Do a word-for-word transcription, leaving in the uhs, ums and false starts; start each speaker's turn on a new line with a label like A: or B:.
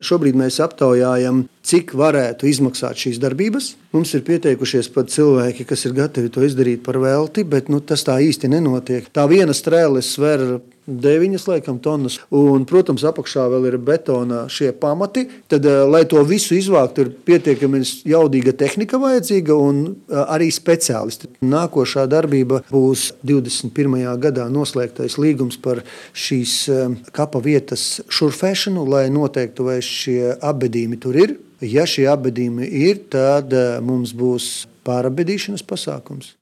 A: Šobrīd mēs aptaujājam, cik varētu izmaksāt šīs darbības. Mums ir pieteikušies pat cilvēki, kas ir gatavi to izdarīt par velti, bet nu, tas tā īsti nenotiek. Tā viena strēle sver deviņas laikam tonnas, un, protams, apakšā vēl ir betona šie pamati. Tad, lai to visu izvāktu, ir pietiekami jaudīga tehnika vajadzīga un arī speciālisti. Nākošā darbība būs divdesmit pirmajā gadā noslēgtais līgums par šīs kapa vietas šurfēšanu, lai noteiktu, vai šie apbedījumi tur ir. Ja šie apbedījumi ir, tad mums būs pārabedīšanas pasākums.